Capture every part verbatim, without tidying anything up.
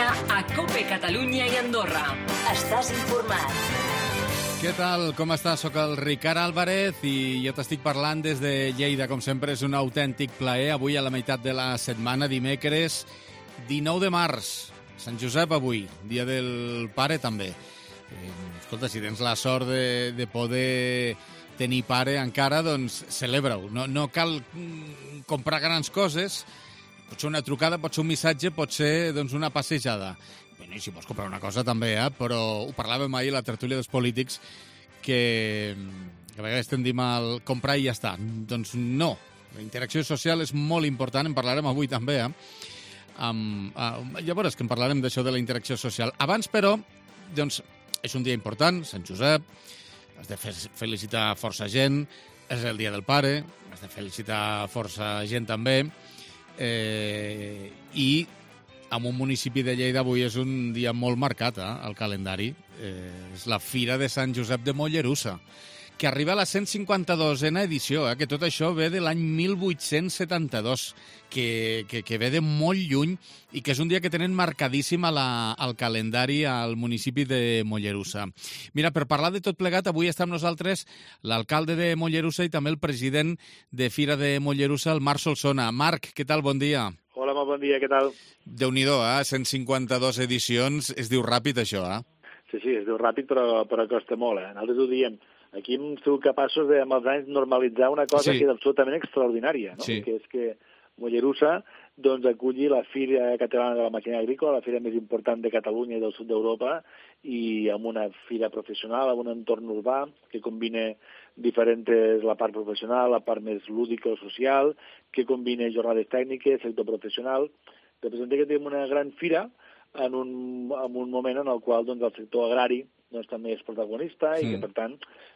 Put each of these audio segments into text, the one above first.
dia a COPE Catalunya i Andorra. Estàs informat. Què tal? Com estàs? Soc el Ricard Álvarez i jo t'estic parlant des de Lleida. Com sempre, és un autèntic plaer. Avui, a la meitat de la setmana, dimecres, dinou de març. Sant Josep avui, dia del pare també. Eh, escolta, si tens la sort de, de poder tenir pare encara, doncs celebra-ho. No, no cal comprar grans coses. Pot ser una trucada, pot ser un missatge, pot ser doncs, una passejada. Bé, i si vols comprar una cosa també, eh? Però ho parlàvem ahir a la tertúlia dels polítics, que, que a vegades tendim al comprar i ja està. Doncs no, la interacció social és molt important, en parlarem avui també. Eh? Um, uh, ja veuràs que en parlarem d'això de la interacció social. Abans, però, doncs, és un dia important, Sant Josep, has de felicitar força gent, és el dia del pare, has de felicitar força gent també, eh, i en un municipi de Lleida avui és un dia molt marcat, eh, al calendari. Eh, és la Fira de Sant Josep de Mollerussa, que arriba a la cent cinquanta-dosena edició, eh, que tot això ve de l'any mil vuit-cents setanta-dos, que, que, que ve de molt lluny i que és un dia que tenen marcadíssim a la, al calendari al municipi de Mollerussa. Mira, per parlar de tot plegat, avui està amb nosaltres l'alcalde de Mollerussa i també el president de Fira de Mollerussa, el Marc Solsona. Marc, què tal? Bon dia. Hola, molt bon dia, què tal? Déu-n'hi-do, eh? cent cinquanta-dos edicions, es diu ràpid això, eh? Sí, sí, es diu ràpid, però, però costa molt, eh? Nosaltres ho diem. Aquí hem sigut capaços de, amb els anys, normalitzar una cosa sí. que és absolutament extraordinària, no? Sí. Que és que Mollerussa doncs, aculli la Fira Catalana de la Màquina Agrícola, la fira més important de Catalunya i del sud d'Europa, i amb una fira professional, amb un entorn urbà que combina diferents, la part professional, la part més lúdica o social, que combina jornades tècniques, sector professional. Representa que tenim una gran fira en un, en un moment en el qual doncs, el sector agrari doncs, també és protagonista sí. i que, per tant,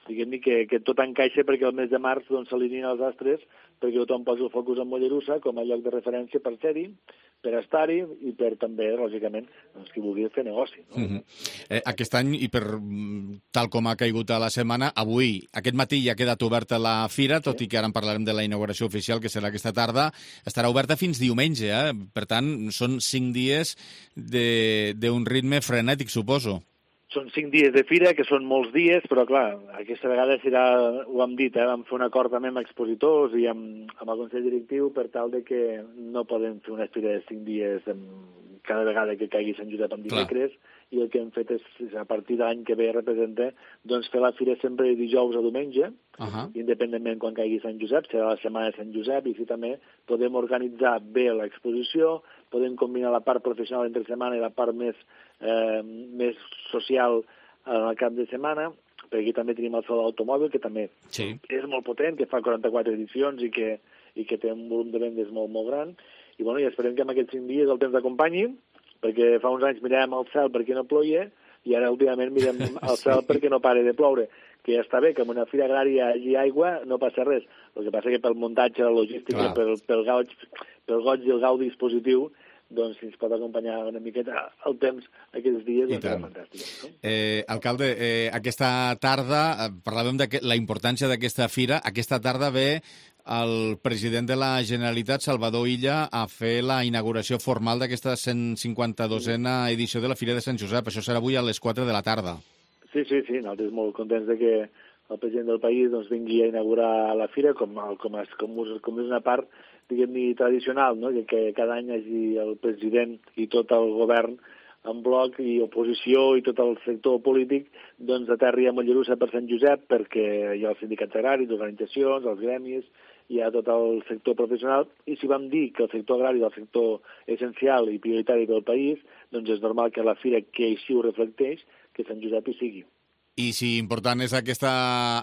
diguem-ne que, que tot encaixa perquè el mes de març doncs, s'alineen els astres perquè tothom posi el focus en Mollerussa com a lloc de referència per ser-hi, per estar-hi i per també, lògicament, doncs, qui vulgui fer negoci. No? Mm-hmm. eh, aquest any, i per tal com ha caigut a la setmana, avui, aquest matí ja ha quedat oberta la fira, tot sí. i que ara en parlarem de la inauguració oficial, que serà aquesta tarda, estarà oberta fins diumenge, eh? Per tant, són cinc dies d'un ritme frenètic, suposo. Són cinc dies de fira, que són molts dies, però, clar, aquesta vegada serà, ho hem dit, eh, vam fer un acord també amb expositors i amb, amb el Consell Directiu per tal de que no podem fer una fira de cinc dies amb, cada vegada que caigui Sant Josep en dimecres, i el que hem fet és, a partir de l'any que ve representa, doncs fer la fira sempre de dijous a diumenge, uh-huh. independentment quan caigui Sant Josep, serà la setmana de Sant Josep, i així també podem organitzar bé l'exposició, podem combinar la part professional entre setmana i la part més, eh, més social en el cap de setmana, perquè aquí també tenim el Saló d'Automòbil, que també sí. és molt potent, que fa quaranta-quatre edicions i que, i que té un volum de vendes molt, molt gran. I, bueno, i esperem que en aquests cinc dies el temps acompanyi, perquè fa uns anys miràvem al cel perquè no ploia, i ara últimament mirem al cel sí. perquè no pare de ploure. Que ja està bé, que en una fira agrària hi ha aigua no passa res. El que passa que pel muntatge, la logística, pel, pel, goig, pel goig i el gaudi dispositiu, doncs si ens pot acompanyar una miqueta el temps aquests dies, doncs serà fantàstic. No? Eh, alcalde, eh, aquesta tarda, eh, parlàvem de la importància d'aquesta fira, aquesta tarda ve el president de la Generalitat, Salvador Illa, a fer la inauguració formal d'aquesta cent cinquanta-dosena edició de la Fira de Sant Josep. Això serà avui a les quatre de la tarda. Sí, sí, sí, nosaltres molt contents de que el president del país doncs, vingui a inaugurar la fira com, com, és, com, com és una part, diguem-ne, tradicional, no? que, que cada any hi hagi el president i tot el govern en bloc i oposició i tot el sector polític doncs aterri a Mollerussa per Sant Josep perquè hi ha els sindicats agraris, organitzacions, els gremis, hi ha tot el sector professional, i si vam dir que el sector agrari és el sector essencial i prioritari del país, doncs és normal que la fira que així ho reflecteix, que Sant Josep hi sigui. I si important és aquesta,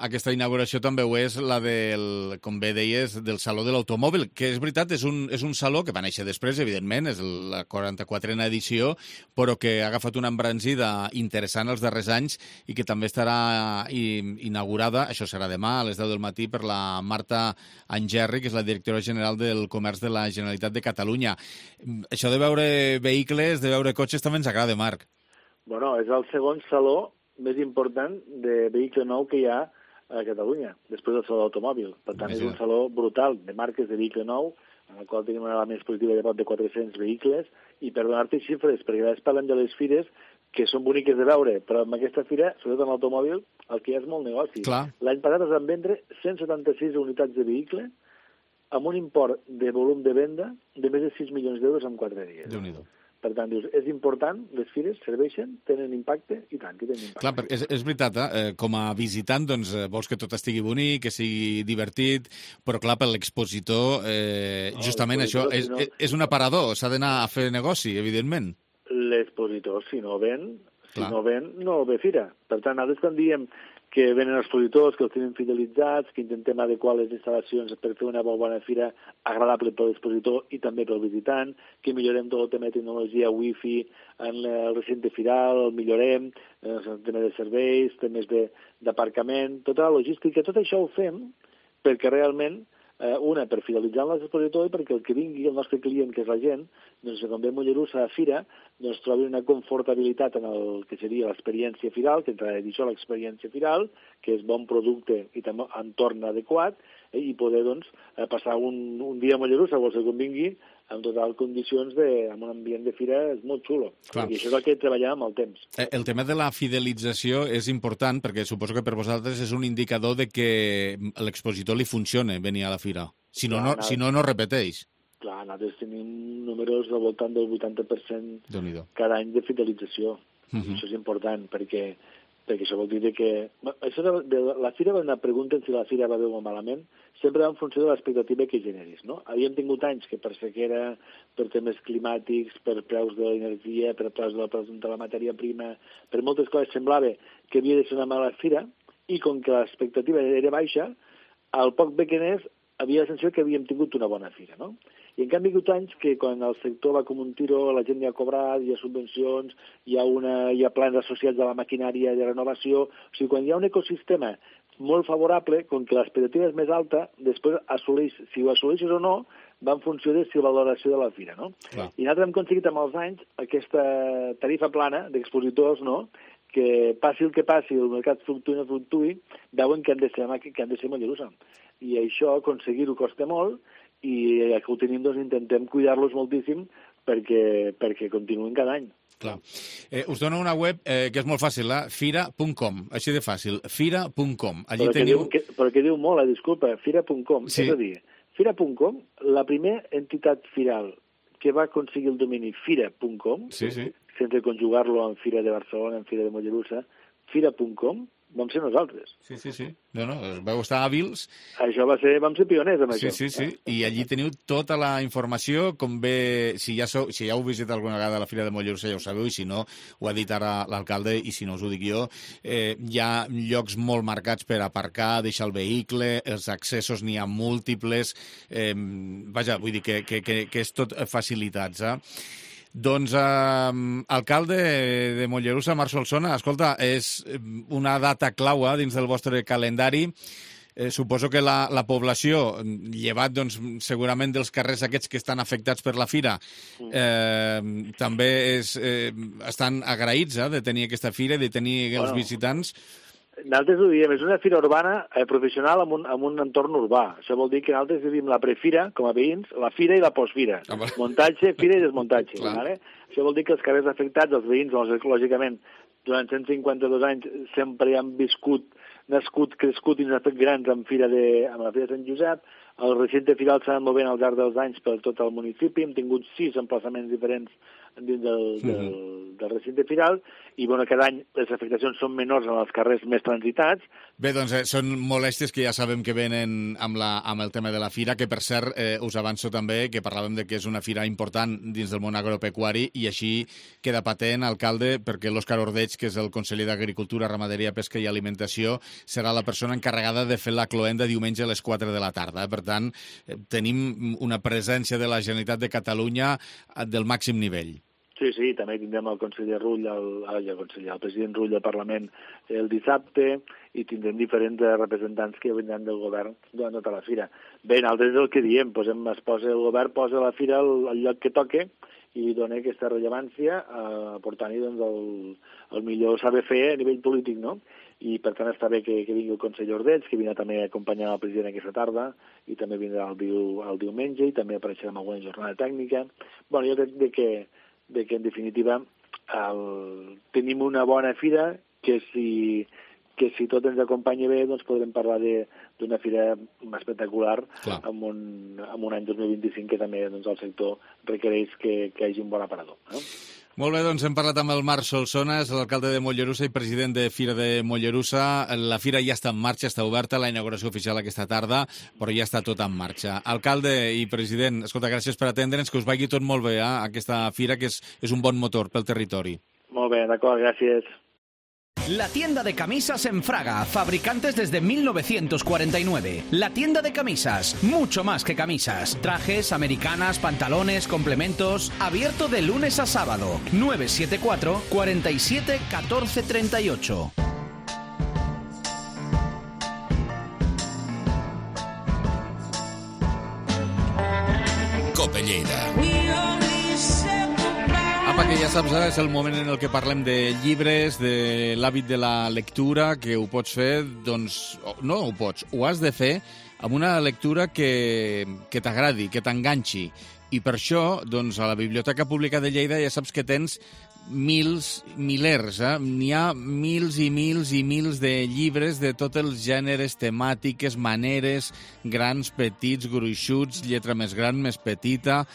aquesta inauguració, també ho és la del, com bé deies, del Saló de l'Automòbil, que és veritat, és un, és un saló que va néixer després, evidentment, és la quaranta-quatrena edició, però que ha agafat una embranzida interessant els darrers anys i que també estarà inaugurada, això serà demà, a les deu del matí, per la Marta Angerri, que és la directora general del Comerç de la Generalitat de Catalunya. Això de veure vehicles, de veure cotxes, també ens agrada, Marc. Bueno, és el segon saló més important de vehicle nou que hi ha a Catalunya, després del saló d'automòbil. Per tant, és un saló brutal de marques de vehicle nou, en el qual tenim una element expositiva de prop de quatre-cents vehicles, i per donar-te xifres, perquè a vegades parlem de les fires que són boniques de veure, però amb aquesta fira, sobretot en l'automòbil, el que hi ha és molt negoci. Clar. L'any passat es van vendre cent setanta-sis unitats de vehicle amb un import de volum de venda de més de sis milions d'euros en quatre dies. Déu-n'hi-do. Per tant, dius, és important, les fires serveixen, tenen impacte, i tant, que tenen impacte. Clar, és, és veritat, eh? Com a visitant, doncs, vols que tot estigui bonic, que sigui divertit, però clar, per l'expositor, eh, No, justament això és, si no- és, és un aparador, s'ha d'anar a fer negoci, evidentment. L'expositor, si no ven, si Clar. no ven, no ve fira. Per tant, nosaltres quan diem que venen expositors, que els tenim fidelitzats, que intentem adequar les instal·lacions per fer una molt bona fira agradable per l'expositor i també pel visitant, que millorem tot el tema de tecnologia wifi en el recinte firal, el millorem, el tema de serveis, temes de- d'aparcament, tota la logística, tot això ho fem perquè realment Eh, una, per fidelitzar l'expositor i perquè el que vingui, el nostre client, que és la gent, doncs, quan ve a Mollerussa a fira, doncs trobi una confortabilitat en el que seria l'experiència firal, que entrarà a dir això, l'experiència firal, que és bon producte i també entorn adequat, eh, i poder doncs, eh, passar un, un dia a Mollerussa, qualsevol que vingui, amb total condicions de, amb un ambient de fira és molt xulo. Clar. I això és el que treballem amb el temps. Eh, El tema de la fidelització és important perquè suposo que per vosaltres és un indicador de que a l'expositor li funciona venir a la fira. Si no, no, Clar, si no, no repeteix. Clar, nosaltres tenim números al voltant del vuitanta per cent Déu-n'hi-do. cada any de fidelització. Uh -huh. Això és important, perquè, perquè això vol dir que... Això de, de, la fira, quan pregunten si la fira va bé o malament, sempre va en funció de l'expectativa que generis, no? Havíem tingut anys que per sequera, per temes climàtics, per preus de l'energia, per preus de la, de la matèria prima, per moltes coses semblava que havia de ser una mala fira, i com que l'expectativa era baixa, al poc bé que anés, havia la sensació que havíem tingut una bona fira, no? I en canvi hi ha hagut anys que quan el sector va com un tiro, la gent ja ha cobrat, hi ha subvencions, hi ha, una, hi ha plans associats a la maquinària de renovació... O sigui, quan hi ha un ecosistema molt favorable, com que l'expectativa és més alta, després assoleix, si ho assoleixes o no, va en funció de si la valoració de la fira, no? Clar. I nosaltres hem aconseguit amb els anys aquesta tarifa plana d'expositors, no?, que passi el que passi, el mercat fluctuï o no fluctuï, veuen que han de ser, que han de ser Mollerussa. I això, aconseguir-ho costa molt, i ja que ho tenim, doncs intentem cuidar-los moltíssim perquè, perquè continuïn cada any. Clar. Eh, us dono una web eh, que és molt fàcil, eh? fira punt com, així de fàcil, fira punt com. Allí però, teniu... que diu, que, però que diu molt, eh, disculpa, fira punt com. Sí. És a dir, fira punt com, la primera entitat firal que va aconseguir el domini fira punt com, Sí, sí. sense conjugar-lo amb Fira de Barcelona, amb Fira de Mollerussa, fira punt com, vam ser nosaltres. Sí, sí, sí. No, no, vau estar hàbils. Això va ser, vam ser pioners amb Sí, això. sí, sí. I allí teniu tota la informació, com bé, si ja, sou, si ja heu visitat alguna vegada a la Fira de Mollerussa ja ho sabeu, i si no, ho ha dit ara l'alcalde, i si no us ho dic jo, eh, hi ha llocs molt marcats per aparcar, deixar el vehicle, els accessos n'hi ha múltiples, eh, vaja, vull dir que, que, que, que és tot facilitats, eh? Doncs, eh, alcalde de Mollerussa, Marc Solsona, escolta, és una data clau eh, dins del vostre calendari. Eh, suposo que la, la població, llevat doncs, segurament dels carrers aquests que estan afectats per la fira, eh, també és, eh, estan agraïts eh, de tenir aquesta fira i de tenir els Bueno. visitants. Nosaltres ho diem, és una fira urbana eh, professional amb un, amb un entorn urbà. Això vol dir que nosaltres vivim la prefira, com a veïns, la fira i la postfira. Ah, vale. Muntatge, fira i desmuntatge. Clar. Vale? Això vol dir que els carrers afectats, els veïns, doncs, lògicament, durant cent cinquanta-dos anys sempre hi han viscut, nascut, crescut i ens han fet grans amb, fira de, amb la Fira de Sant Josep. El recinte firal s'ha anat movent al llarg dels anys per tot el municipi. Hem tingut sis emplaçaments diferents dins del, del, del recinte firal i bueno, cada any les afectacions són menors en els carrers més transitats. Bé, doncs eh, són molèsties que ja sabem que venen amb, la, amb el tema de la fira, que per cert eh, us avanço també que parlàvem de que és una fira important dins del món agropecuari i així queda patent, alcalde, perquè l'Òscar Ordeig, que és el conseller d'Agricultura, Ramaderia, Pesca i Alimentació, serà la persona encarregada de fer la cloenda diumenge a les quatre de la tarda. Per tant, eh, tenim una presència de la Generalitat de Catalunya del màxim nivell. Sí, sí, també tindrem el conseller Rull, el, el, el, conseller, el president Rull del Parlament el dissabte i tindrem diferents representants que vindran del govern durant tota la fira. Bé, nosaltres és el que diem, posem, es posa, el govern posa la fira al, al lloc que toque i dona aquesta rellevància, eh, portant-hi doncs, el, el millor saber fer a nivell polític, no? i per tant està bé que, que vingui el conseller Ordeig, que vindrà també a acompanyar el president aquesta tarda, i també vindrà el, diu, el diumenge, i també apareixerà en alguna jornada tècnica. Bueno, jo crec de que, de que en definitiva el, tenim una bona fira que si, que si tot ens acompanya bé doncs podrem parlar d'una fira espectacular amb un, amb un any dos mil vint-i-cinc que també doncs, el sector requereix que, que hi hagi un bon aparador. No? Molt bé, doncs hem parlat amb el Marc Solsona, és l'alcalde de Mollerussa i president de Fira de Mollerussa. La fira ja està en marxa, està oberta, la inauguració oficial aquesta tarda, però ja està tot en marxa. Alcalde i president, escolta, gràcies per atendre'ns, que us vagi tot molt bé, eh, aquesta fira, que és, és un bon motor pel territori. Molt bé, d'acord, gràcies. La tienda de camisas en Fraga, fabricantes desde mil novecientos cuarenta y nueve. La tienda de camisas, mucho más que camisas. Trajes, americanas, pantalones, complementos. Abierto de lunes a sábado. nueve siete cuatro, cuatro siete, uno cuatro tres ocho. Cope Lleida. Apa, que ja saps, eh, és el moment en el que parlem de llibres, de l'hàbit de la lectura, que ho pots fer, doncs, no ho pots, ho has de fer amb una lectura que, que t'agradi, que t'enganxi. I per això, doncs, a la Biblioteca Pública de Lleida ja saps que tens mils, milers, eh? N'hi ha mils i mils i mils de llibres de tots els gèneres, temàtiques, maneres, grans, petits, gruixuts, lletra més gran, més petita.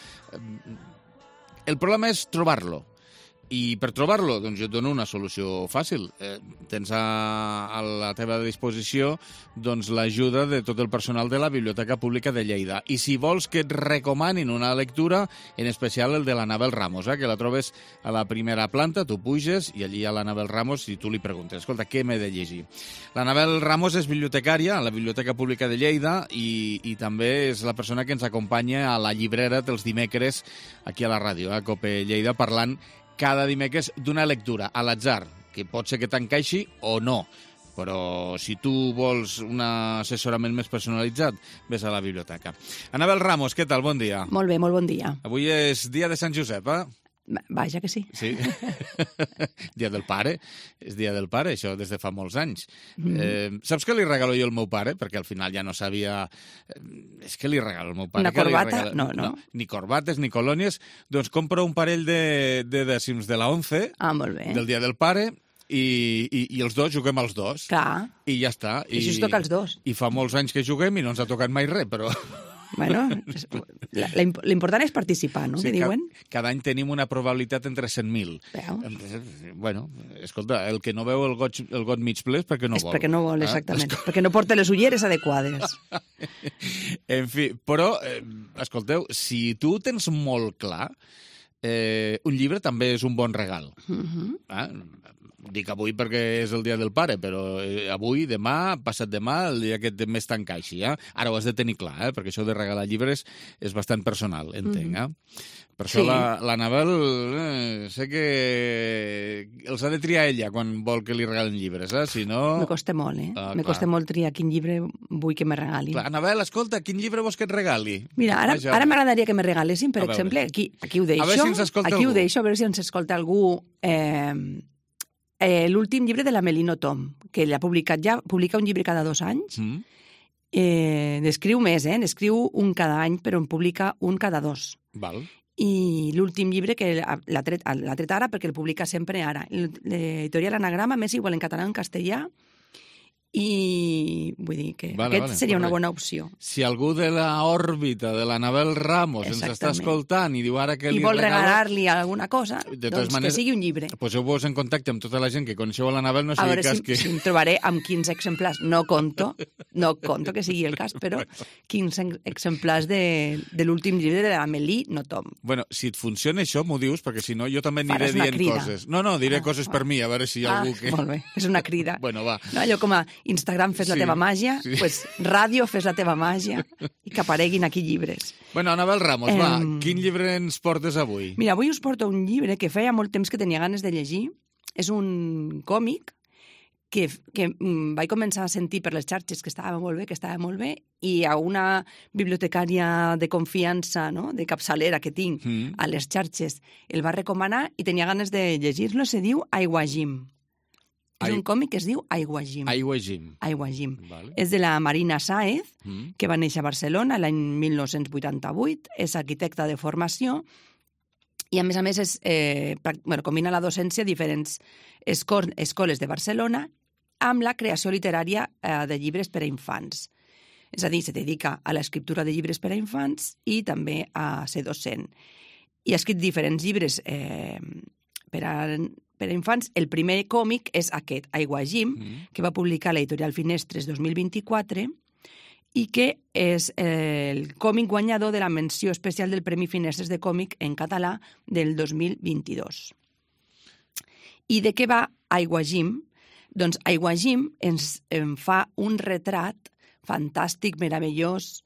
El problema és trobar-lo. I per trobar-lo, doncs jo et dono una solució fàcil. Eh, tens a, a la teva disposició doncs, l'ajuda de tot el personal de la Biblioteca Pública de Lleida. I si vols que et recomanin una lectura, en especial el de l'Anabel Ramos, eh, que la trobes a la primera planta, tu puges i allí hi ha l'Anabel Ramos i tu li preguntes, escolta, què m'he de llegir? L'Anabel Ramos és bibliotecària a la Biblioteca Pública de Lleida i, i també és la persona que ens acompanya a la llibrera dels dimecres aquí a la ràdio, a Cope Lleida, parlant cada dimecres d'una lectura a l'atzar, que pot ser que t'encaixi o no. Però si tu vols un assessorament més personalitzat, vés a la biblioteca. Anabel Ramos, què tal? Bon dia. Molt bé, molt bon dia. Avui és dia de Sant Josep, eh? Vaja que sí. Sí. Dia del pare. És dia del pare, això, des de fa molts anys. Mm. Eh, saps què li regalo jo al meu pare? Perquè al final ja no sabia... És que li regalo al meu pare. Una corbata? Regalo... No, no, no. Ni corbates, ni colònies. Doncs compro un parell de, de dècims de la once, ah, molt bé. Del dia del pare, i, i, i els dos juguem els dos. Clar. I ja està. I això es toca els dos. I fa molts anys que juguem i no ens ha tocat mai res, però... Bueno, l'important és participar, no? Sí, que diuen? Cada, cada any tenim una probabilitat entre cent mil. Veus? Bueno, escolta, el que no veu el got, el got mig ple és perquè no és vol. És perquè no vol, exactament. Eh? Perquè no porta les ulleres adequades. En fi, però, eh, escolteu, si tu tens molt clar, eh, un llibre també és un bon regal. Uh-huh. Eh? Dic avui perquè és el dia del pare, però avui, demà, passat demà, el dia que més t'encaixi. Eh? Ara ho has de tenir clar, eh? Perquè això de regalar llibres és bastant personal, entenc. Eh? Per això sí. l'Anabel eh, sé que els ha de triar ella quan vol que li regalen llibres, eh? Si no... Me costa molt, eh? Ah, me costa molt triar quin llibre vull que me regalin. Clar, Anabel, escolta, quin llibre vols que et regali? Mira, ara, ara m'agradaria que me regalessin, per exemple, aquí, aquí ho deixo, a veure si ens escolta aquí algú. Ho deixo, a veure si ens escolta algú... Eh, Eh, l'últim llibre de la Melino Tom, que ella ha publicat ja, publica un llibre cada dos anys. Mm. Eh, n'escriu més, eh? N'escriu un cada any, però en publica un cada dos. Val. I l'últim llibre que l'ha tret, l'ha tret ara, perquè el publica sempre ara. L'editorial Anagrama, més igual en català o en castellà, i vull dir que vale, aquest vale, seria correcte. Una bona opció. Si algú de l'òrbita de l'Anabel Ramos ens està escoltant i diu ara que li I vol regalo... regalar-li alguna cosa, doncs maneres, que sigui un llibre. Poseu-vos en contacte amb tota la gent que coneixeu a l'Anabel, no sigui cas si, que... si em trobaré amb quinze exemplars. No conto, no conto que sigui el cas, però quinze exemplars de, de l'últim llibre de l'Amélie Nothomb. Bueno, si et funciona això, m'ho dius, perquè si no jo també aniré dient crida. Coses. No, no, diré ah, coses ah. per mi, a veure si hi ha ah, algú que... Molt bé, és una crida. Bueno, va. No, allò com a Instagram fes sí, la teva màgia, sí. Pues ràdio fes la teva màgia i que apareguin aquí llibres. Bueno, Anabel Ramos, eh, va, quin llibre ens portes avui? Mira, avui us porto un llibre que feia molt temps que tenia ganes de llegir. És un còmic que, que mm, vaig començar a sentir per les xarxes que estava molt bé, que estava molt bé, i a una bibliotecària de confiança, no?, de capçalera que tinc mm. a les xarxes, el va recomanar i tenia ganes de llegir-lo. Se diu Aiguajim. És Ai- un còmic que es diu Aiguajim. Aigua Jim. Aiguajim. Vale. És de la Marina Sáez, Mm. que va néixer a Barcelona l'any mil nou-cents vuitanta-vuit, és arquitecta de formació i, a més a més, és, eh, prac- bueno, combina la docència a diferents esco- escoles de Barcelona amb la creació literària eh, de llibres per a infants. És a dir, se dedica a l'escriptura de llibres per a infants i també a ser docent. I ha escrit diferents llibres eh, per a per a infants. El primer còmic és aquest, Aiguajim, Mm. que va publicar l'editorial Finestres dos mil vint-i-quatre i que és eh, el còmic guanyador de la menció especial del Premi Finestres de còmic en català del dos mil vint-i-dos. I de què va Aiguajim? Doncs Aiguajim ens en fa un retrat fantàstic, meravellós,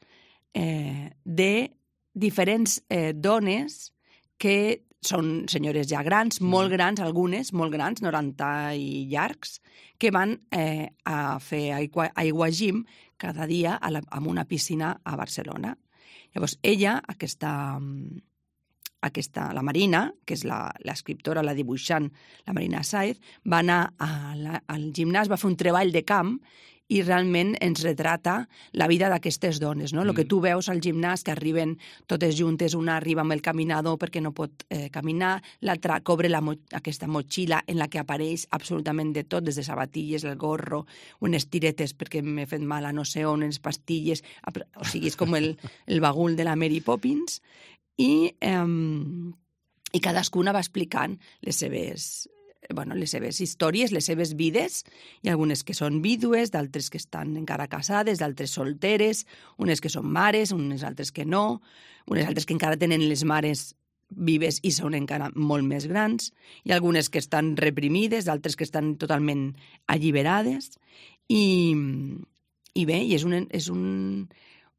eh, de diferents eh, dones que són senyores ja grans, molt grans, algunes, molt grans, noranta i llargs, que van eh, a fer aigua, aiguajim cada dia a la, en una piscina a Barcelona. Llavors, ella, aquesta, aquesta, la Marina, que és la- l'escriptora, la dibuixant, la Marina Sáez, va anar a la, al gimnàs, va fer un treball de camp i realment ens retrata la vida d'aquestes dones, no? El que tu veus al gimnàs, que arriben totes juntes, una arriba amb el caminador perquè no pot eh, caminar, l'altra cobre la mo aquesta motxilla en la que apareix absolutament de tot, des de sabatilles, el gorro, unes tiretes perquè m'he fet mal a no sé on, unes pastilles, o sigui, és com el, el bagul de la Mary Poppins, i, eh, i cadascuna va explicant les seves bueno, les seves històries, les seves vides. Hi ha algunes que són vídues, d'altres que estan encara casades, d'altres solteres, unes que són mares, unes altres que no, unes altres que encara tenen les mares vives i són encara molt més grans. Hi ha algunes que estan reprimides, d'altres que estan totalment alliberades. I, i bé, i és un, és un,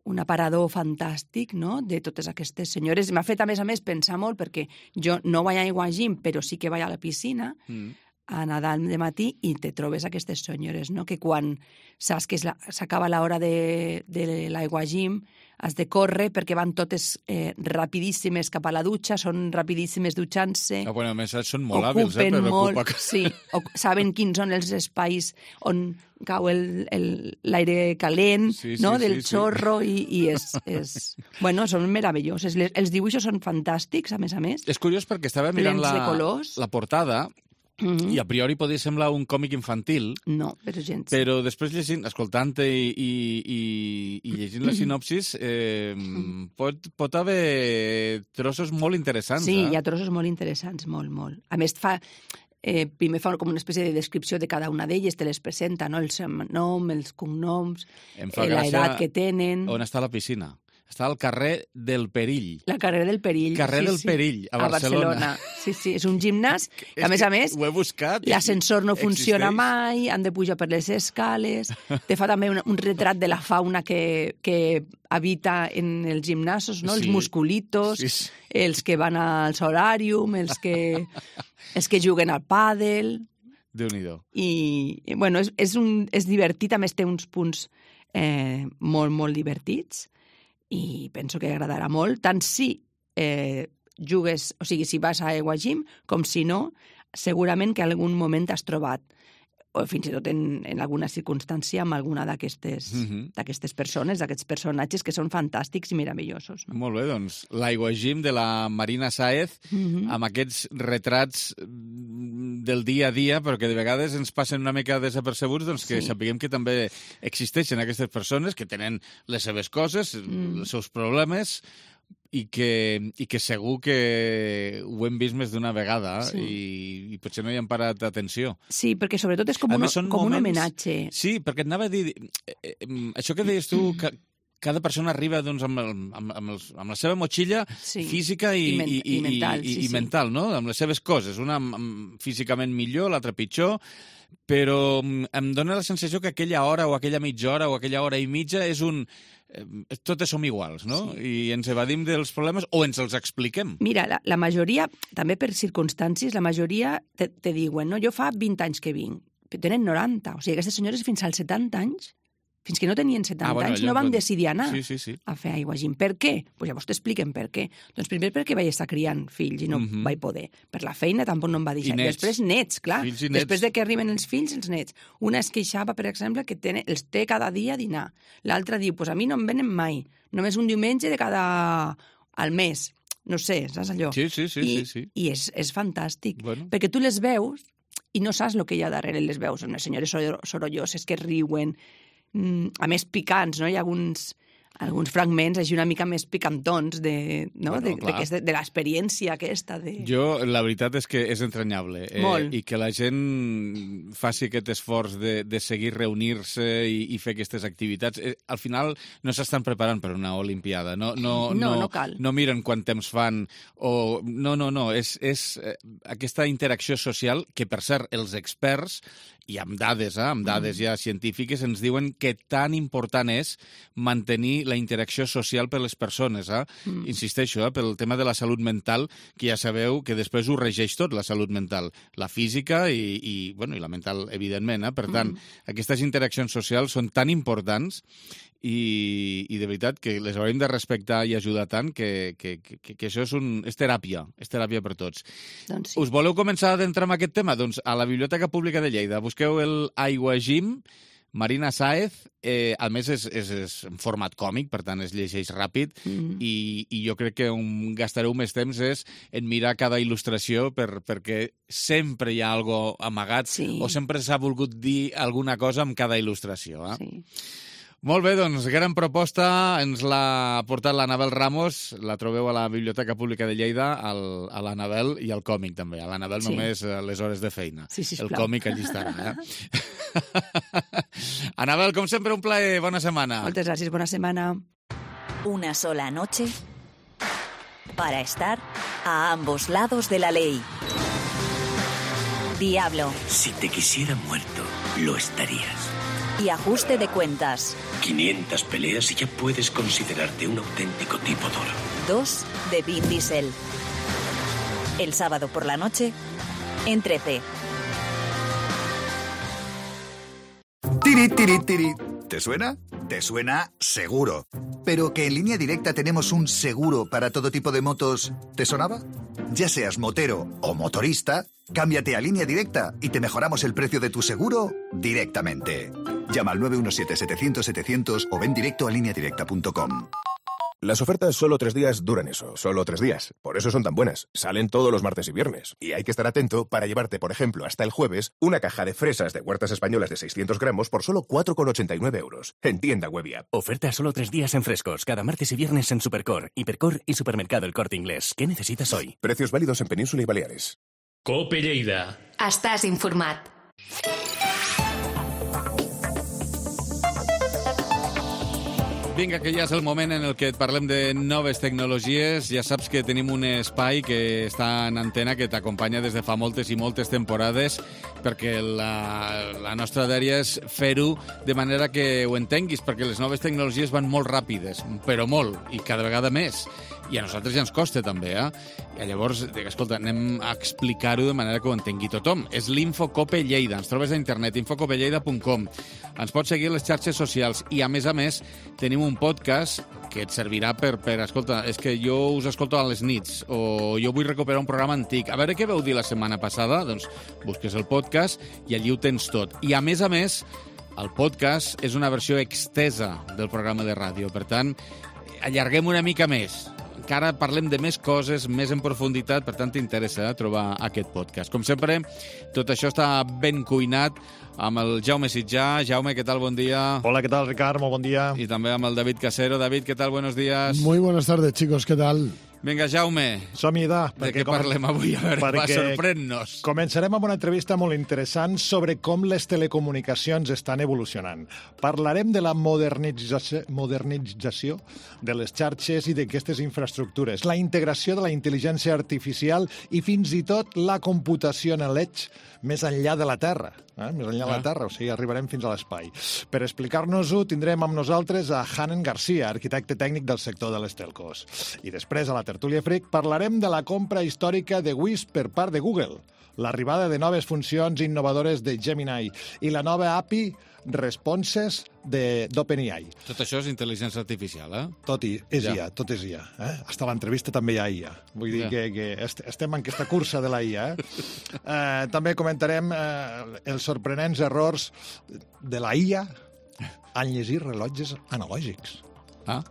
un aparador fantàstic, no?, de totes aquestes senyores. M'ha fet, a més a més, pensar molt, perquè jo no vaig a Aiguajim, però sí que vaig a la piscina Mm. a nedar de matí i te trobes aquestes senyores, no?, que quan saps que s'acaba l'hora de, de l'Aiguajim has de córrer perquè van totes eh, rapidíssimes cap a la dutxa, són rapidíssimes dutxant-se. Ah, bueno, a més, són molt hàbils, eh, per molt, ocupar... sí, o, saben quins són els espais on cau l'aire calent, Sí, sí, no?, sí, del sí. xorro, i, i és, és... Bueno, són meravelloses. Les, els dibuixos són fantàstics, a més a més. És curiós perquè estava mirant Plens de la, colors. la portada Mm-hmm. i a priori podia semblar un còmic infantil, No, però gens. però després llegint, escoltant-te i, i, i, i llegint la sinopsis, eh, pot, pot haver trossos molt interessants. Sí, eh? hi ha trossos molt interessants, molt, molt. A més, fa... Eh, primer fa com una espècie de descripció de cada una d'elles, te les presenta, no?, el seu nom, els cognoms, Em fa eh, gràcia l'edat que tenen... On està la piscina? Està al carrer del Perill. La carrera del Perill. Carrer sí, del sí. Perill, a Barcelona. Sí, sí, és un gimnàs que, a És més que a més, ho he buscat i l'ascensor no funciona existeix. mai, han de pujar per les escales, te fa també un, un retrat de la fauna que, que habita en els gimnasos, no? Sí. Els musculitos, Sí, sí. els que van al solàrium, els que, els que juguen al pàdel... Déu-n'hi-do. I, i, bueno, és, és, un, és divertit, a més té uns punts eh, molt, molt divertits i penso que agradarà molt, tant si eh, jugues, o sigui, si vas a Aiguajim, com si no, segurament que en algun moment t'has trobat, o fins i tot en, en alguna circumstància, amb alguna d'aquestes Mhm. d'aquestes persones, d'aquests personatges que són fantàstics i meravellosos. No? Molt bé, doncs, l'Aiguajim de la Marina Sáez, Mhm. amb aquests retrats mm, del dia a dia, però que de vegades ens passen una mica desapercebuts, doncs que Sí. sapiguem que també existeixen aquestes persones que tenen les seves coses, Mm. els seus problemes, i que, i que segur que ho hem vist més d'una vegada Sí. i, i potser no hi hem parat atenció. Sí, perquè sobretot és com, A un, més, són com un moments- homenatge. Sí, perquè et anava a dir... Eh, eh, això que deies tu, que cada persona arriba doncs, amb, el, amb, amb, els, amb la seva motxilla Sí. física i, I men- i, i mental, i, sí, i sí. mental, no? Amb les seves coses. Una amb, amb, físicament millor, l'altra pitjor, però mm, em dóna la sensació que aquella hora o aquella mitja hora o aquella hora i mitja és un... Eh, totes som iguals, no? Sí. I ens evadim dels problemes o ens els expliquem. Mira, la, la majoria, també per circumstàncies, la majoria te, te diuen, no, jo fa vint anys que vinc, però tenen noranta, o sigui, aquestes senyores fins als setanta anys, fins que no tenien setanta Ah, bueno, anys, allò no van quan- decidir anar Sí, sí, sí. a fer aiguagim. Per què? Pues llavors t'expliquen per què. Doncs primer perquè vaig estar criant fills i no Mhm. vaig poder. Per la feina tampoc no em va deixar. I nets. Després nets, clar. Fills i nets. Després de que arriben els fills, els nets. Una es queixava, per exemple, que té, els té cada dia a dinar. L'altra diu, pues a mi no em venen mai. Només un diumenge de cada... al mes. No sé, saps allò? Sí, sí, sí, I, sí, sí. I és, és fantàstic. Bueno. Perquè tu les veus i no saps el que hi ha darrere les veus. Són unes senyores sor- sorolloses que riuen, mm, a més picants, no? Hi ha alguns, alguns fragments així una mica més picantons de, no? Bueno, de, clar. de, de, de l'experiència aquesta. De... Jo, la veritat és que és entranyable. Eh, Molt. I que la gent faci aquest esforç de, de seguir reunir-se i, i fer aquestes activitats. Eh, al final no s'estan preparant per una olimpiada. No, no, No, no cal. No miren quant temps fan. O... No, no, no. És, és eh, aquesta interacció social que, per cert, els experts, i amb dades, eh, amb dades ja científiques, ens diuen que tan important és mantenir la interacció social per les persones. Eh? Mm. Insisteixo, eh, pel tema de la salut mental, que ja sabeu que després ho regeix tot, la salut mental. La física i, i, bueno, i la mental, evidentment. Eh? Per tant, mm. aquestes interaccions socials són tan importants i, i de veritat que les haurem de respectar i ajudar tant que, que, que, que això és, un, és teràpia, és teràpia per tots. Doncs sí. Us voleu començar a adentrar en aquest tema? Doncs a la Biblioteca Pública de Lleida busqueu el Aiguagim, Marina Sáez, eh, a més és, és, és en format còmic, per tant es llegeix ràpid, mm. i, i jo crec que on gastareu més temps és en mirar cada il·lustració per, perquè sempre hi ha algo amagat Sí. o sempre s'ha volgut dir alguna cosa amb cada il·lustració. Eh? Sí. Molt bé, doncs, gran proposta. Ens l'ha portat l'Anabel Ramos. La trobeu a la Biblioteca Pública de Lleida, al, a l'Anabel i al còmic, també. A l'Anabel Sí. només a les hores de feina. Sí, sisplau. El còmic allí estarà, eh? Anabel, com sempre, un plaer. Bona setmana. Moltes gràcies, bona setmana. Una sola noche para estar a ambos lados de la ley. Diablo Si te quisiera muerto, lo estarías. y ajuste de cuentas. quinientas peleas y ya puedes considerarte un auténtico tipo duro. Dos de Vin Diesel. El sábado por la noche en trece. Tiri, tiri, tiri. ¿Te suena? Te suena seguro. Pero que en Línea Directa tenemos un seguro para todo tipo de motos, ¿te sonaba? Ya seas motero o motorista, cámbiate a Línea Directa y te mejoramos el precio de tu seguro directamente. Llama al nueve uno siete, setecientos, setecientos o ven directo a línea directa punto com. Las ofertas solo tres días duran eso, solo tres días. Por eso son tan buenas. Salen todos los martes y viernes. Y hay que estar atento para llevarte, por ejemplo, hasta el jueves, una caja de fresas de Huertas Españolas de seiscientos gramos por solo cuatro con ochenta y nueve euros. En tienda web y app. Oferta solo tres días en frescos, cada martes y viernes en Supercor, Hipercor y Supermercado El Corte Inglés. ¿Qué necesitas hoy? Precios válidos en Península y Baleares. Cope Lleida. Estàs informat. Vinga, que ja és el moment en el que et parlem de noves tecnologies. Ja saps que tenim un espai que està en antena que t'acompanya des de fa moltes i moltes temporades perquè la, la nostra dèria és fer-ho de manera que ho entenguis, perquè les noves tecnologies van molt ràpides, però molt, i cada vegada més. I a nosaltres ja ens costa també, eh? I llavors, dic, escolta, anem a explicar-ho de manera que ho entengui tothom. És l'Infocope Lleida. Ens trobes a internet, infocope lleida punt com. Ens pots seguir a les xarxes socials i, a més a més, tenim un podcast que et servirà per, per, escolta, és que jo us escolto a les nits o jo vull recuperar un programa antic. A veure què vau dir la setmana passada? Doncs busques el podcast i allí ho tens tot. I, a més a més, el podcast és una versió extesa del programa de ràdio. Per tant, allarguem una mica més. Encara parlem de més coses, més en profunditat, per tant t'interessa eh, trobar aquest podcast. Com sempre, tot això està ben cuinat amb el Jaume Sitjà. Jaume, què tal? Bon dia. Hola, ¿qué tal, Ricard? Muy buen día. Y también amb el David Casero. David, ¿qué tal? Buenos días. Muy buenas tardes, chicos. ¿Qué tal? Vinga, Jaume. Som-hi, da. De què parlem avui? A veure, va, sorprèn-nos. Començarem amb una entrevista molt interessant sobre com les telecomunicacions estan evolucionant. Parlarem de la modernització, modernització de les xarxes i d'aquestes infraestructures, la integració de la intel·ligència artificial i fins i tot la computació en l'edge més enllà de la Terra. Eh? Més enllà de la Terra, o sigui, arribarem fins a l'espai. Per explicar-nos-ho, tindrem amb nosaltres a Hanen Garcia, arquitecte tècnic del sector de les telcos. I després, a la Tertúlia Freak, parlarem de la compra històrica de Wisp per part de Google, l'arribada de noves funcions innovadores de Gemini i la nova A P I responses d'OpenAI. Tot això és intel·ligència artificial, eh? Tot i, és Ja. I A, tot és I A. Eh? Hasta l'entrevista també hi ha I A. Vull dir Ja. que, que est- estem en aquesta cursa de la I A. Eh? Eh, també comentarem eh, els sorprenents errors de la I A en llegir rellotges analògics. Ah.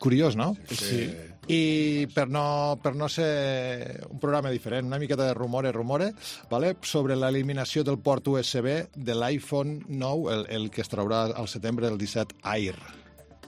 Curiós, no? Sí. I per no, per no ser un programa diferent, una miqueta de rumore, rumore, vale? Sobre l'eliminació del port U S B de l'iPhone nou, el, el que es traurà al setembre del disset Air.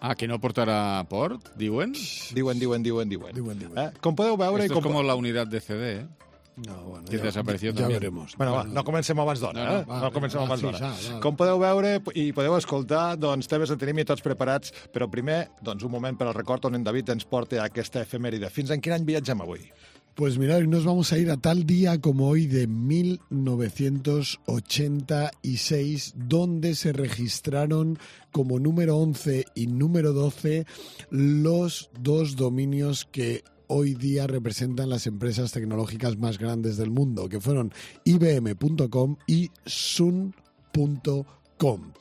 Ah, que no portarà port, diuen? Diuen, diuen, diuen, diuen. Diuen, diuen. Eh? Com podeu veure... Esto i es com... como la unidad de C D, ¿eh? No, bueno, Que ja, desapareció ja també. veremos. Bueno, va, no comencem abans d'hora, No, no, eh? va, No comencem va, abans sí, d'hora. ja, ja. Com podeu veure i podeu escoltar, doncs temes en tenim i tots preparats, però primer, doncs un moment per al record on en David ens porta aquesta efemèride. Fins en quin any viatgem avui? Pues mirad, hoy nos vamos a ir a tal día como hoy de mil novecientos ochenta y seis, donde se registraron como número once y número doce los dos dominios que hoy día representan las empresas tecnológicas más grandes del mundo, que fueron I B M punto com y Sun punto com.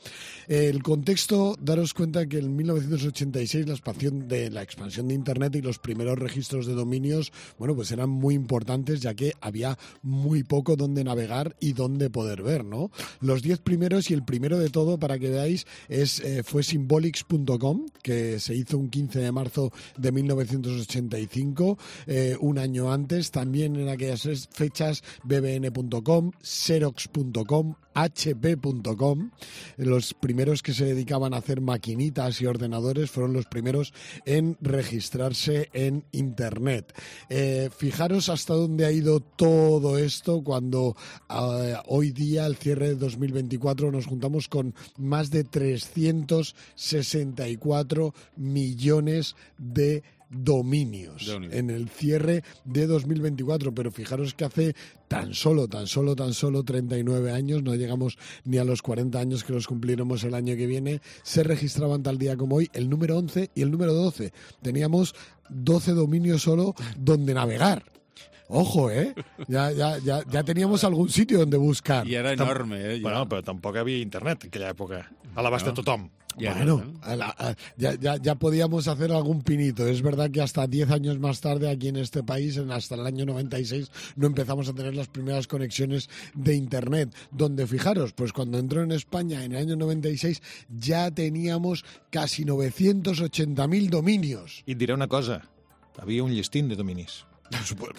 El contexto, daros cuenta que en mil novecientos ochenta y seis la expansión de la expansión de Internet y los primeros registros de dominios, bueno, pues eran muy importantes, ya que había muy poco donde navegar y donde poder ver, ¿no? Los diez primeros y el primero de todo, para que veáis, es eh, fue symbolics punto com, que se hizo un quince de marzo de mil novecientos ochenta y cinco, eh, un año antes. También en aquellas fechas B B N punto com, Xerox punto com, H P punto com, los primeros que se dedicaban a hacer maquinitas y ordenadores fueron los primeros en registrarse en Internet. Eh, fijaros hasta dónde ha ido todo esto cuando eh, hoy día, al cierre de dos mil veinticuatro, nos juntamos con más de trescientos sesenta y cuatro millones de dominios en el cierre de dos mil veinticuatro, pero fijaros que hace tan solo, tan solo, tan solo treinta y nueve años, no llegamos ni a los cuarenta años que los cumpliremos el año que viene, se registraban tal día como hoy el número once y el número doce. Teníamos doce dominios solo donde navegar. Ojo, ¿eh? Ya, ya, ya, ya teníamos algún sitio donde buscar. I era enorme, eh? Bueno, però tampoc hi havia internet en aquella època, a l'abast de tothom. Ya bueno, no, ¿no? a la- a- ya, ya, ya podíamos hacer algún pinito. Es verdad que hasta diez años más tarde aquí en este país, en hasta el año noventa y seis, no empezamos a tener las primeras conexiones de Internet. Donde, fijaros, pues cuando entró en España en el año noventa y seis ya teníamos casi novecientos ochenta mil dominios. I et diré una cosa, havia un llestín de dominis.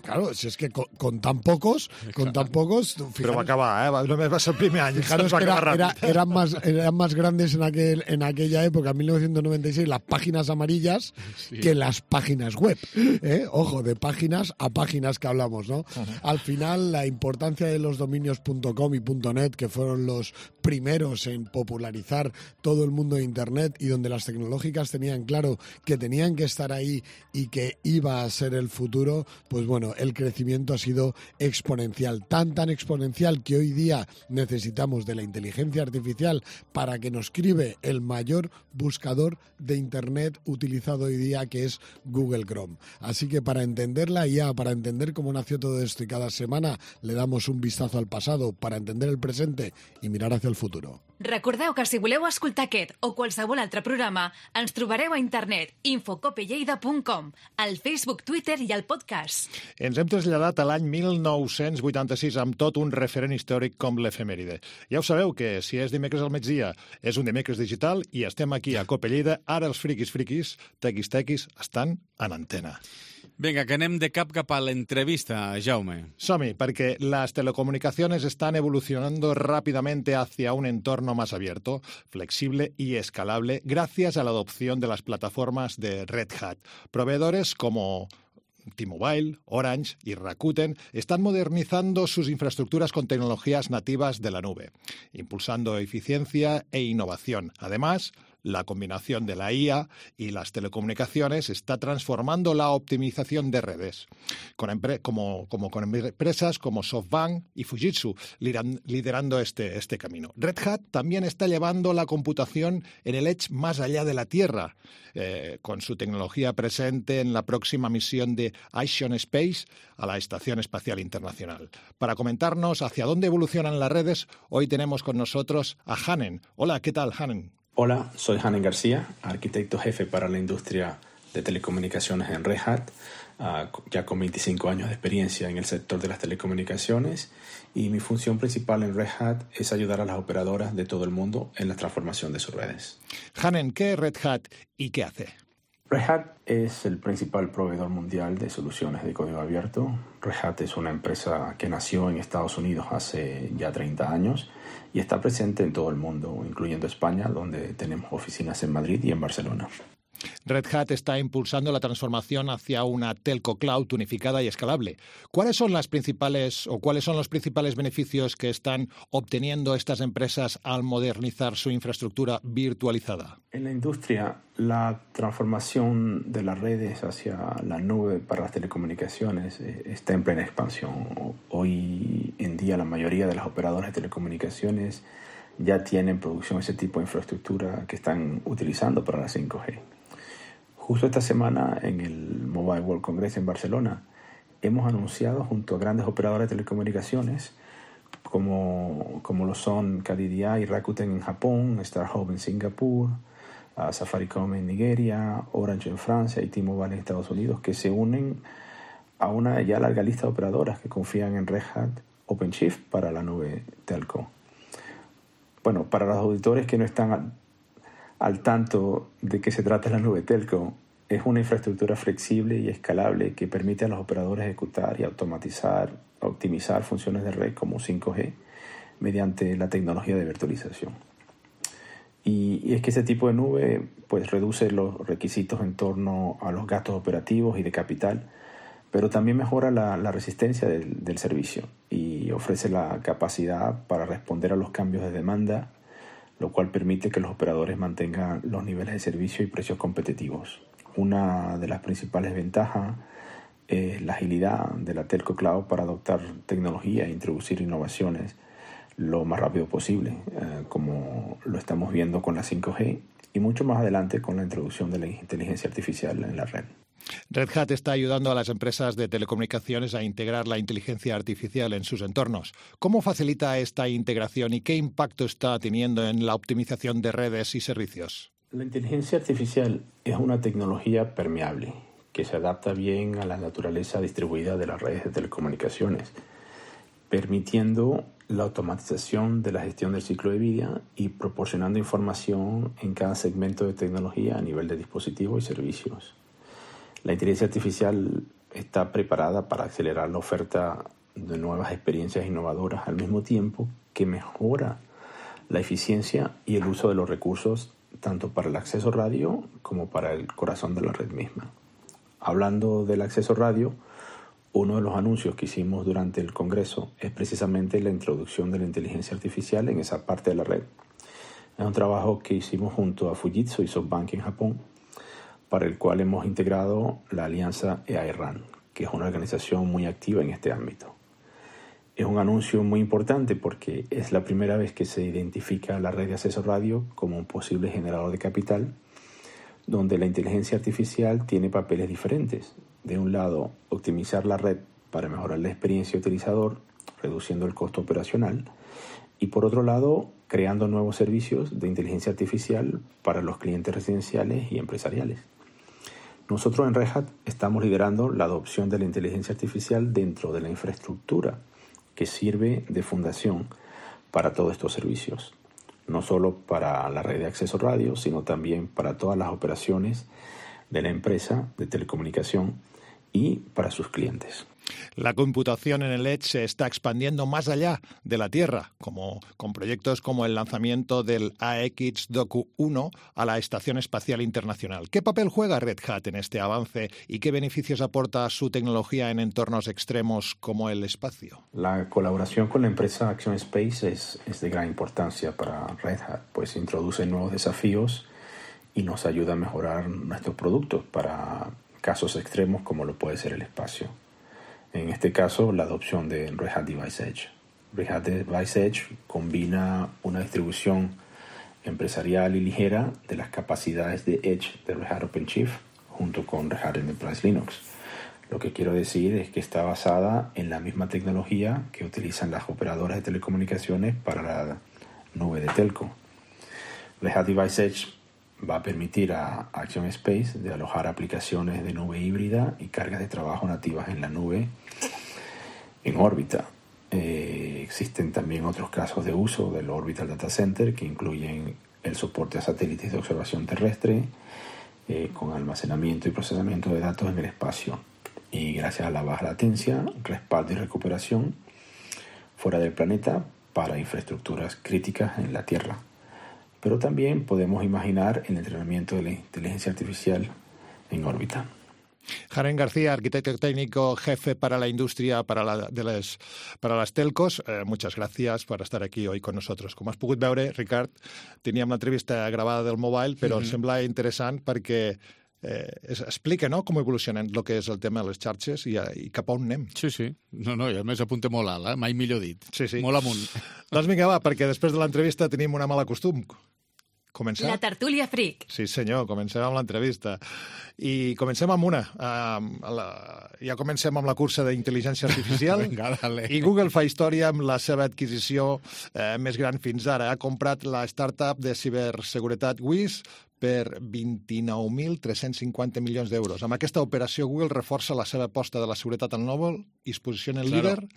Claro, si es que con, con tan pocos, con tan pocos... Però va fijaros- acabar, eh? Va- Només va ser el primer any. Fijaros va que era- acabar era- ràpid. eran, más, eran más grandes en, aquel, en aquella época, en mil novecientos noventa y seis, las páginas amarillas Sí. que las páginas web. ¿eh? Ojo, de páginas a páginas que hablamos, ¿no? Al final, la importancia de los dominios .com y .net, que fueron los primeros en popularizar todo el mundo de Internet y donde las tecnológicas tenían claro que tenían que estar ahí y que iba a ser el futuro, pues bueno, el crecimiento ha sido exponencial. Tan, tan exponencial que hoy día necesitamos de la inteligencia artificial para que nos escribe el mayor buscador de Internet utilizado hoy día, que es Google Chrome. Así que para entender la I A, para entender cómo nació todo esto, y cada semana le damos un vistazo al pasado para entender el presente y mirar hacia el futuro. Recordeu que si voleu escoltar aquest o qualsevol altre programa, ens trobareu a internet infocopelleida punt com, al Facebook, Twitter i al podcast. Ens hem traslladat a l'any mil nou-cents vuitanta-sis amb tot un referent històric com l'efemèride. Ja ho sabeu que si és dimecres al migdia és un dimecres digital i estem aquí a Cope Lleida. Ara els friquis friquis, tequis tequis, estan en antena. Venga, que anem de cap cap a l'entrevista, Jaume. Som-hi, perquè las telecomunicaciones están evolucionando rápidamente hacia un entorno más abierto, flexible y escalable gracias a la adopción de las plataformas de Red Hat. Proveedores como T-Mobile, Orange y Rakuten están modernizando sus infraestructuras con tecnologías nativas de la nube, impulsando eficiencia e innovación. Además, La combinación de la I A y las telecomunicaciones está transformando la optimización de redes, con empre- como, como con empresas como SoftBank y Fujitsu lideran- liderando este, este camino. Red Hat también está llevando la computación en el edge más allá de la Tierra, eh, con su tecnología presente en la próxima misión de Ixion Space a la Estación Espacial Internacional. Para comentarnos hacia dónde evolucionan las redes, hoy tenemos con nosotros a Hanen. Hola, ¿qué tal, Hanen? Hola, soy Hanen García, arquitecto jefe para la industria de telecomunicaciones en Red Hat, uh, ya con veinticinco años de experiencia en el sector de las telecomunicaciones, y mi función principal en Red Hat es ayudar a las operadoras de todo el mundo en la transformación de sus redes. Hanen, ¿qué es Red Hat y qué hace? Red Hat es el principal proveedor mundial de soluciones de código abierto. Red Hat es una empresa que nació en Estados Unidos hace ya treinta años y está presente en todo el mundo, incluyendo España, donde tenemos oficinas en Madrid y en Barcelona. Red Hat está impulsando la transformación hacia una telco cloud unificada y escalable. ¿Cuáles son las principales o cuáles son los principales beneficios que están obteniendo estas empresas al modernizar su infraestructura virtualizada? En la industria, la transformación de las redes hacia la nube para las telecomunicaciones está en plena expansión. Hoy en día la mayoría de las operadoras de telecomunicaciones ya tienen en producción ese tipo de infraestructura que están utilizando para la cinco G. Justo esta semana, en el Mobile World Congress en Barcelona, hemos anunciado junto a grandes operadores de telecomunicaciones como, como lo son K D D I y Rakuten en Japón, StarHub en Singapur, uh, Safaricom en Nigeria, Orange en Francia y T-Mobile en Estados Unidos, que se unen a una ya larga lista de operadoras que confían en Red Hat OpenShift para la nube telco. Bueno, para los auditores que no están al, al tanto de qué se trata la nube telco, es una infraestructura flexible y escalable que permite a los operadores ejecutar y automatizar, optimizar funciones de red como cinco G mediante la tecnología de virtualización. Y, y es que ese tipo de nube pues, reduce los requisitos en torno a los gastos operativos y de capital, pero también mejora la, la resistencia del, del servicio y ofrece la capacidad para responder a los cambios de demanda, lo cual permite que los operadores mantengan los niveles de servicio y precios competitivos. Una de las principales ventajas es la agilidad de la telco cloud para adoptar tecnología e introducir innovaciones lo más rápido posible, eh, como lo estamos viendo con la cinco G y mucho más adelante con la introducción de la inteligencia artificial en la red. Red Hat está ayudando a las empresas de telecomunicaciones a integrar la inteligencia artificial en sus entornos. ¿Cómo facilita esta integración y qué impacto está teniendo en la optimización de redes y servicios? La inteligencia artificial es una tecnología permeable que se adapta bien a la naturaleza distribuida de las redes de telecomunicaciones, permitiendo la automatización de la gestión del ciclo de vida y proporcionando información en cada segmento de tecnología a nivel de dispositivos y servicios. La inteligencia artificial está preparada para acelerar la oferta de nuevas experiencias innovadoras al mismo tiempo que mejora la eficiencia y el uso de los recursos tanto para el acceso radio como para el corazón de la red misma. Hablando del acceso radio, uno de los anuncios que hicimos durante el Congreso es precisamente la introducción de la inteligencia artificial en esa parte de la red. Es un trabajo que hicimos junto a Fujitsu y SoftBank en Japón, para el cual hemos integrado la alianza E A I RAN, que es una organización muy activa en este ámbito. Es un anuncio muy importante porque es la primera vez que se identifica la red de acceso radio como un posible generador de capital, donde la inteligencia artificial tiene papeles diferentes. De un lado, optimizar la red para mejorar la experiencia utilizador, reduciendo el costo operacional, y por otro lado, creando nuevos servicios de inteligencia artificial para los clientes residenciales y empresariales. Nosotros en Red Hat estamos liderando la adopción de la inteligencia artificial dentro de la infraestructura que sirve de fundación para todos estos servicios, no solo para la red de acceso radio, sino también para todas las operaciones de la empresa de telecomunicación y para sus clientes. La computación en el Edge se está expandiendo más allá de la Tierra, como con proyectos como el lanzamiento del A X Doku uno a la Estación Espacial Internacional. ¿Qué papel juega Red Hat en este avance y qué beneficios aporta su tecnología en entornos extremos como el espacio? La colaboración con la empresa Axion Space es, es de gran importancia para Red Hat, pues introduce nuevos desafíos y nos ayuda a mejorar nuestros productos para casos extremos como lo puede ser el espacio. En este caso, la adopción de Red Hat Device Edge. Red Hat Device Edge combina una distribución empresarial y ligera de las capacidades de Edge de Red Hat OpenShift junto con Red Hat Enterprise Linux. Lo que quiero decir es que está basada en la misma tecnología que utilizan las operadoras de telecomunicaciones para la nube de telco. Red Hat Device Edge va a permitir a Action Space de alojar aplicaciones de nube híbrida y cargas de trabajo nativas en la nube en órbita. Eh, existen también otros casos de uso del Orbital Data Center que incluyen el soporte a satélites de observación terrestre eh, con almacenamiento y procesamiento de datos en el espacio y gracias a la baja latencia, respaldo y recuperación fuera del planeta para infraestructuras críticas en la Tierra. Pero también podemos imaginar el entrenamiento de la inteligencia artificial en órbita. Jaren García, arquitecto técnico, jefe para la industria para, la, de les, para las telcos. Eh, muchas gracias por estar aquí hoy con nosotros. Com has pogut veure, Ricard, teníem l'entrevista gravada del mobile, però mm-hmm. em sembla interessant perquè eh, es explica, no?, com evolucionen el que és el tema de les xarxes i, i cap a on anem. Sí, sí. No, no, i a més apunta molt alt, eh? Mai millor dit. Sí, sí. Molt amunt. Doncs vinga, va, perquè després de l'entrevista tenim una mala costum. Començar? La tertúlia fric. Sí, senyor, comencem amb l'entrevista. I comencem amb una. Uh, la... Ja comencem amb la cursa d'intel·ligència artificial. Vinga, dale. I Google fa història amb la seva adquisició eh, més gran fins ara. Ha comprat la startup de ciberseguretat Wiz per vint-i-nou mil tres-cents cinquanta milions d'euros. Amb aquesta operació, Google reforça la seva aposta de la seguretat al mòbil i es posiciona en Claro. líder.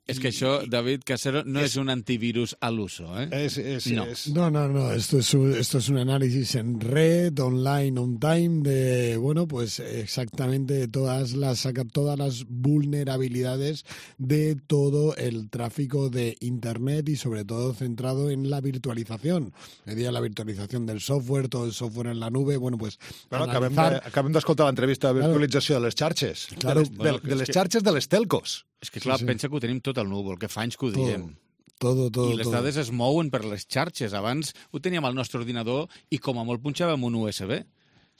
Es que això, David Casero, no es, es un antivirus al uso, ¿eh? Es, es, no. Es... no, no, no. Esto es, un, esto es un análisis en red, online, on time, de, bueno, pues exactamente todas las, saca todas las vulnerabilidades de todo el tráfico de Internet y sobre todo centrado en la virtualización. Es decir, la virtualización del software, todo el software en la nube, bueno, pues... Bueno, analizar... acabem, de, acabem d'escoltar l'entrevista de virtualització claro. de les xarxes, claro. de les, bueno, de, de les que... xarxes de les telcos. És que, clar, sí, sí. pensa que ho tenim tot al núvol, que fa anys que ho diem. Todo, todo, I les todo. dades es mouen per les xarxes. Abans ho teníem al nostre ordinador i com a molt punxàvem un U S B.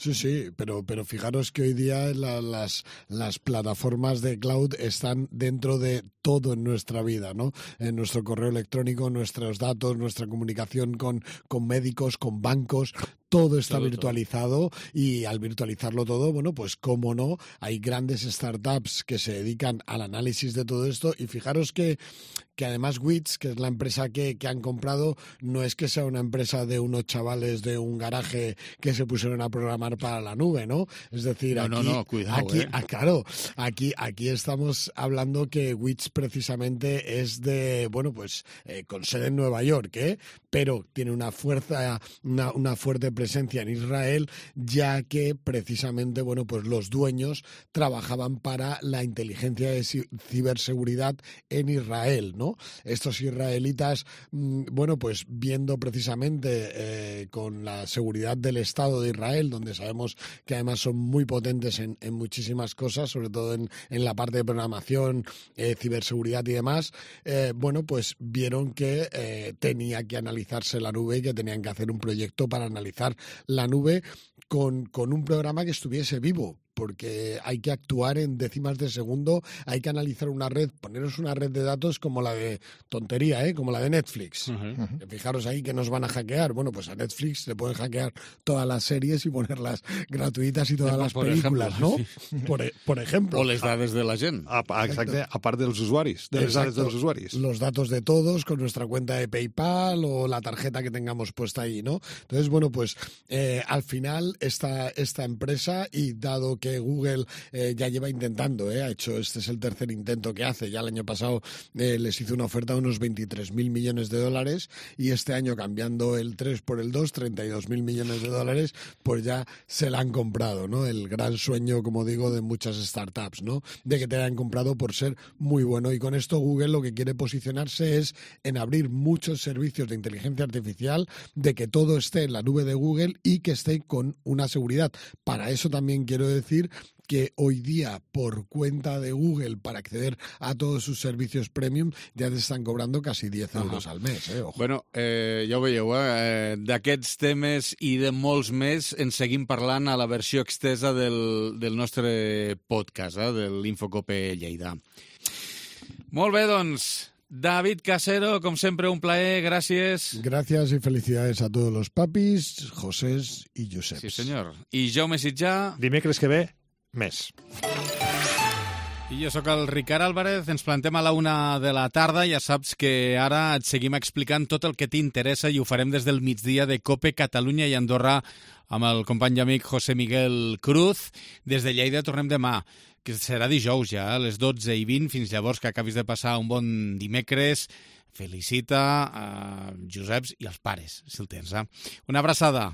Sí, sí, pero, pero fijaros que hoy día la, las, las plataformas de cloud están dentro de todo en nuestra vida, ¿no? En nuestro correo electrónico, nuestros datos, nuestra comunicación con, con médicos, con bancos, todo está todo, virtualizado todo. Y al virtualizarlo todo, bueno, pues cómo no, hay grandes startups que se dedican al análisis de todo esto y fijaros que, que además Wiz, que es la empresa que, que han comprado, no es que sea una empresa de unos chavales de un garaje que se pusieron a programar para la nube, ¿no? Es decir, no, aquí, no, no, cuidado, aquí, eh. ah, claro, aquí, aquí estamos hablando que Wiz precisamente es de, bueno, pues eh, con sede en Nueva York, ¿eh? Pero tiene una fuerza, una, una fuerte presencia en Israel, ya que precisamente, bueno, pues los dueños trabajaban para la inteligencia de ciberseguridad en Israel, ¿no? Estos israelitas, bueno, pues viendo precisamente eh, con la seguridad del Estado de Israel, donde sabemos que además son muy potentes en, en muchísimas cosas, sobre todo en, en la parte de programación, eh, ciberseguridad y demás, eh, bueno, pues vieron que eh, tenía que analizarse la nube y que tenían que hacer un proyecto para analizar la nube con, con un programa que estuviese vivo, porque hay que actuar en décimas de segundo, hay que analizar una red, poneros una red de datos como la de tontería, ¿eh? Como la de Netflix. Uh-huh. Fijaros ahí que nos van a hackear. Bueno, pues a Netflix le pueden hackear todas las series y ponerlas gratuitas y todas sí, las películas, ejemplo, ¿no? Sí. Por, por ejemplo. O les dades de la gent. A, a, exacte, a part dels usuaris, de les dades dels usuaris. Los datos de todos con nuestra cuenta de PayPal o la tarjeta que tengamos puesta ahí, ¿no? Entonces, bueno, pues eh, al final esta, esta empresa, y dado que que Google eh, ya lleva intentando, eh, ha hecho, este es el tercer intento que hace, ya el año pasado eh, les hizo una oferta de unos veintitrés mil millones de dólares y este año cambiando el tres por el dos, treinta y dos mil millones de dólares, pues ya se la han comprado, ¿no? El gran sueño, como digo, de muchas startups, ¿no? De que te hayan comprado por ser muy bueno, y con esto Google lo que quiere posicionarse es en abrir muchos servicios de inteligencia artificial, de que todo esté en la nube de Google y que esté con una seguridad. Para eso también quiero decir decir que hoy día, por cuenta de Google, para acceder a todos sus servicios premium, ya te están cobrando casi diez euros al mes. Eh? Ojo. Bueno, eh, ja ho veieu, eh? d'aquests temes i de molts més en seguim parlant a la versió extesa del, del nostre podcast, eh? de l'Infocope Lleida. Molt bé, doncs, David Casero, com sempre, un plaer, gràcies. Gracias y felicidades a todos los papis, Josés y Joseps. Sí, senyor. I Jaume Sitjà. Dimecres que ve, més. I jo sóc el Ricard Álvarez, ens plantem a la una de la tarda, ja saps que ara et seguim explicant tot el que t'interessa i ho farem des del migdia de COPE Catalunya i Andorra amb el company i amic José Miguel Cruz. Des de Lleida tornem demà, que serà dijous ja, a les dotze i vint, fins llavors que acabis de passar un bon dimecres. Felicita a Joseps i als pares, si el tens. Eh? Una abraçada.